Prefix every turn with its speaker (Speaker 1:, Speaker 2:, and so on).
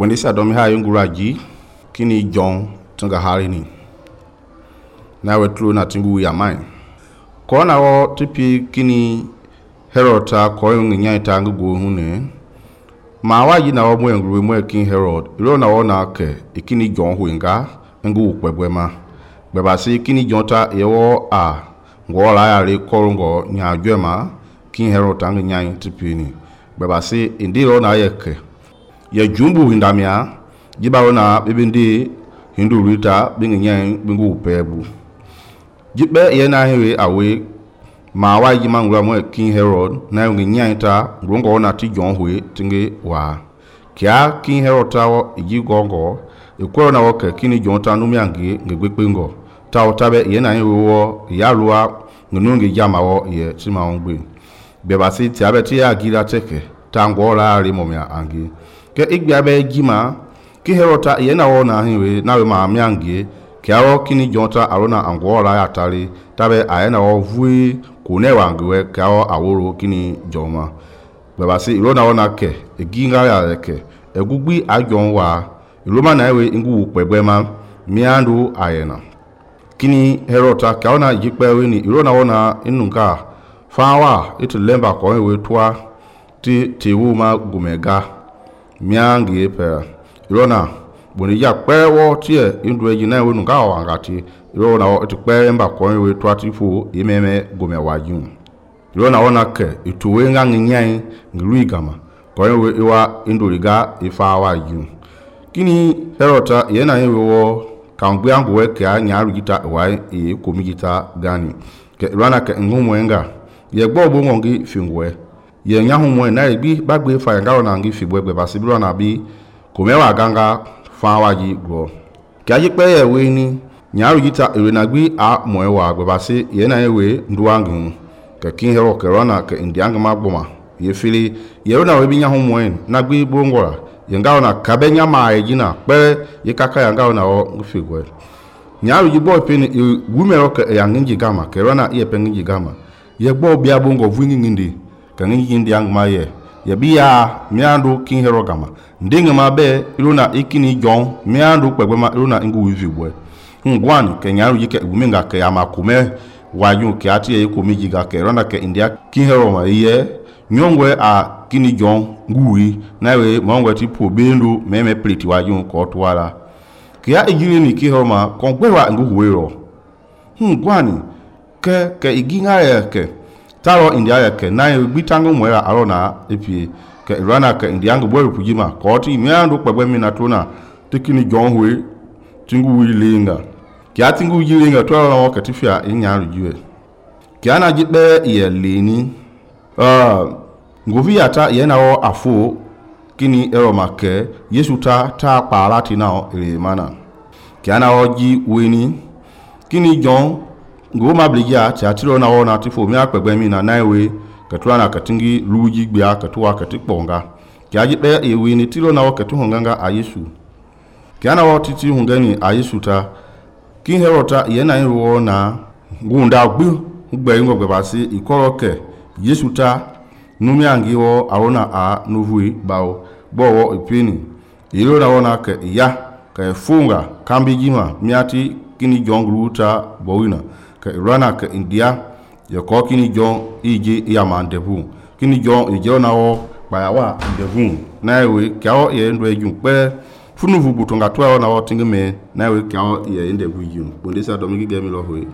Speaker 1: Bondisa domi ha yunguraji kini John tunga harini na wetlu na tingu ya mai kona wo tipi kini Herod ta ko nya ita ngugo hune ma waji na wo mwe nguru mwe king Herod ilo na wo na ke ikini John huinga ngu kwebwema beba si kini John ta yewo a ngola ya le korongo nya jwema king Herod ta nya tipi ni beba si indilo na yeke ya jumbu hindamia jibawo na bibindi hindu rita bingi nya bingu pebu jibe ye na hewe awe ma waji mangula mwe king Herod na yungi nyaita ngongo na ti John hui tingi wa kia king Herod tawo iji gongo ikoro na woke kini John ta numiangi ngegbepengo tawo tabe ye na hewe wo ya luwa ngunungi jama wo ye tima ongbe beba si tiabe ti ya gira teke tango la ri momia angi ke igbabe jima ki Herod ta ye na wo na hewe na we ma miangi kiawo kini John ta arona angola ya tali tabe ayena wo vui kunewa ngwe kawo aworo kini John baba si irona wona ke eginga ya ke egugbi ajon wa iroma na ewe ngu pegbema miandu ayena kini Herod ta kaona jipe we ni irona wona inunka fawa itu lemba ko we twa ti wuma gumega miangi pe irona boni ya pewo tie indweji na we nunga wa ngati irona wo itu pe mba ko we twa ti fu imeme gumewaju irona wona ke itu we nga nyai ngruigama ko we iwa induriga ifawa ju kini Herod ye na yewe wo kangbe angu we ke nyaru gita wa e komigita gani ke irona ke ngumwenga ye gbobo ngongi fingwe ye nyahu mwe na bi bagbe fa ngaro na ngi fibwe gbe basibiro na bi komewa ganga fawaji gro kaji pe ye we ni nyaru gita ewe na gbi a mwe wa gbe basi ye na yewe nduwangu ke king Herod ke rona ke indianga magboma ye fili ye na we bi nyahu mwe na gbi bongora ye ngaro na kabenya ma ejina pe ye kaka ya ngaro na o ngfigwe nyaru ji boy pe ni wumero ke ya ngi gama ke rona ye pe ngi gama ye gbo bia bongo vungi ngindi ka ngi ndi angma ye biya miandu king Herod gama ndinga mabe iluna ikini John miandu kpegbema iluna ngu wivibwe ngwani ke nyaru yike guminga ke amakume waju ke ati ye komiji ga ke ronda ke india king Herod ma ye nyongwe a kini John nguwi nawe mongwe tipo bendu meme pliti waju ko twala ke ya ejini ni king Herod ma kongwewa ngu huwero ngwani ke iginga ye ke taro india yake na bitangu mwera arona epie ke irana ke indiangu boru pujima koti miandu kwegbe mina tuna tikini John hui tingu wilinga kia tingu wilinga to arona wakati fia inyaru jiwe kiana jibe ye leni nguvi ata yena wo afu kini eroma ke Yesu ta parati nao ile mana kiana oji weni kini John ngoma bligia tiatiro na wona tifo mi akpegbe mi na naiwe katwa na katingi luji gbia katwa katikponga kiaji be ewe ni tiro na wakati honganga a Yesu kiana wo titi hongani a Yesu ta king Herod ta ye na nro na ngunda gbu gbe ngogbe basi ikoroke Yesu ta numi angiwo arona a novui bawo bowo ipini ilo na wona ke ya ka funga kambi jima miati kini John gruta bowina ke irana ke india ye ko kini John ije ya mandevu kini John ije na wo bayawa ndevu nawe kyao ye ndo ejun pe funuvu butonga twa na wo tingeme nawe kyao ye ndevu jun bondisa domigi gemi lo hoye